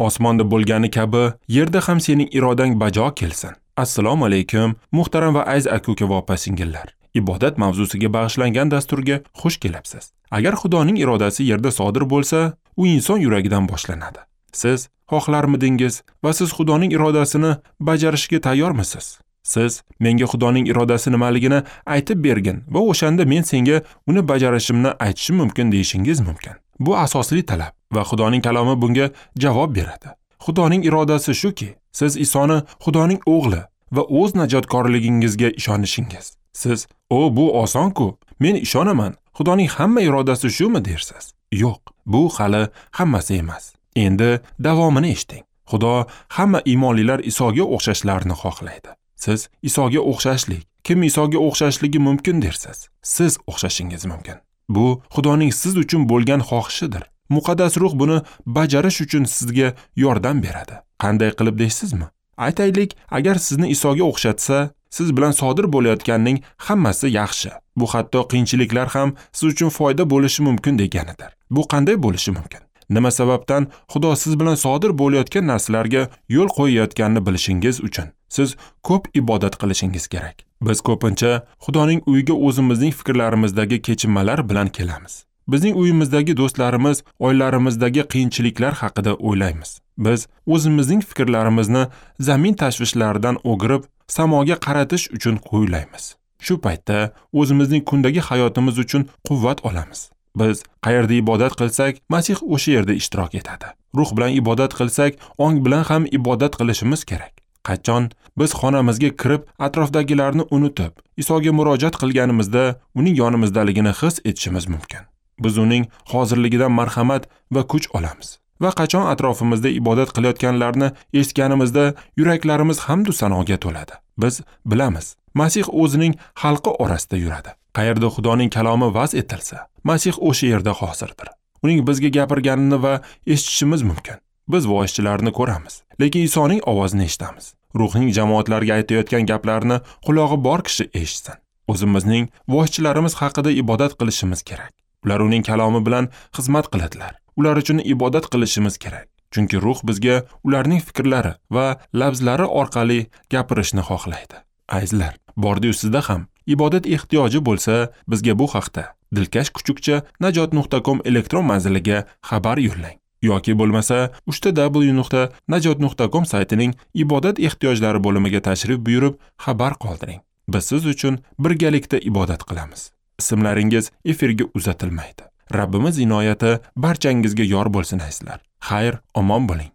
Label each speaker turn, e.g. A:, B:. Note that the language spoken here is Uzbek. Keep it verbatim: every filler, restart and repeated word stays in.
A: Osmonda bo'lgani kabi yerda ham sening irodang bajo kelsin. Assalomu alaykum, muhtaram va aziz aka-uka va opa-singillar. Ibodat mavzusiga bag'ishlangan dasturga xush kelibsiz. Agar Xudoning irodasi yerda sodir bo'lsa, u inson yuragidan boshlanadi. Siz xohlarmidingiz va siz Xudoning irodasini bajarishga tayyormisiz? Siz menga Xudoning irodasi nimaligini aytib bergin va o'shanda men senga uni bajarishimni aytishim mumkin deyishingiz mumkin. Bu asosli talab va Xudoning kalomi bunga javob beradi. Xudoning irodasi shuki, siz Isoni Xudoning o'g'li va o'z najotkorligingizga ishonishingiz. Siz, "O, bu oson-ku, men ishonaman. Xudoning hamma irodasi shumi?" dersiz. Yo'q, bu hali hammasi emas. Endi davomini eshiting. Xudo hamma iymonlilar Isoga o'xshashlarini xohlaydi. Siz Isoga o'xshashlik, kim Isoga o'xshashligi mumkin dersiz? Siz o'xshashingiz mumkin. Bu Xudoning siz uchun bo'lgan xohishidir. Muqaddas ruh buni bajarish uchun sizga yordam beradi. Qanday qilib deysizmi? Aytaylik, agar sizni Isoga o'xshatsa, siz bilan sodir bo'layotganning hammasi yaxshi. Bu hatto qiyinchiliklar ham siz uchun foyda bo'lishi mumkin deganidir. Bu qanday bo'lishi mumkin? Nima sababdan Xudo siz bilan sodir bo'layotgan narsalarga yo'l qo'yayotganini bilishingiz uchun siz ko'p ibodat qilishingiz kerak. Biz ko'pincha Xudoning uyiga o'zimizning fikrlarimizdagi kechinmalar bilan kelamiz. Bizning uyimizdagi do'stlarimiz, oilalarimizdagi qiyinchiliklar haqida o'ylaymiz. Biz o'zimizning fikrlarimizni zamin tashvishlaridan o'girib, samoga qaratish uchun qo'ylaymiz. Shu paytda o'zimizning kundagi hayotimiz uchun quvvat olamiz. Biz qayerda ibodat qilsak, Masih o'sha yerda ishtirok etadi. Ruh bilan ibodat qilsak, ong bilan ham ibodat qilishimiz kerak. Qachon biz xonamizga kirib, atrofdagilarni unutib, Isoga murojaat qilganimizda uning yonimizdaligini his etishimiz mumkin. Biz uning hozirligidan marhamat va kuch olamiz. Va qachon atrofimizda ibodat qilayotganlarni eshitganimizda yuraklarimiz hamd va sanoga to'ladi. Biz bilamiz, Masih o'zining xalqi orasida yuradi. Qayerda Xudoning kalomi vaz etilsa, Masih o'sha yerda hozirdir. Uning bizga gapirganini va eshitishimiz mumkin. Biz voizchilarni ko'ramiz, lekin Isoning ovozini eshitamiz. Ruhning jamoatlarga aytayotgan gaplarini qulog'i bor kishi eshitsin. O'zimizning voizchilarimiz haqida ibodat qilishimiz kerak. Ular uning kalomi bilan xizmat qiladilar. Ular uchun ibodat qilishimiz kerak. Chunki ruh bizga ularning fikrlari va labzlari orqali gapirishni xohlaydi. Azizlar, bordi-yu sizda ham ibodat ehtiyoji bo'lsa, bizga bu haqda dilkash kuchukcha najot nuqta com elektron manziliga xabar yo'llang. Yoki bo'lmasa uch w nuqta najot nuqta com saytining ibodat ehtiyojlari bo'limiga tashrif buyurib xabar qoldiring. Biz siz uchun birgalikda ibodat qilamiz. Ismlaringiz efirga uzatilmaydi. Rabbimiz inoyati barchangizga yor bo'lsin azizlar. Xayr, omon bo'ling.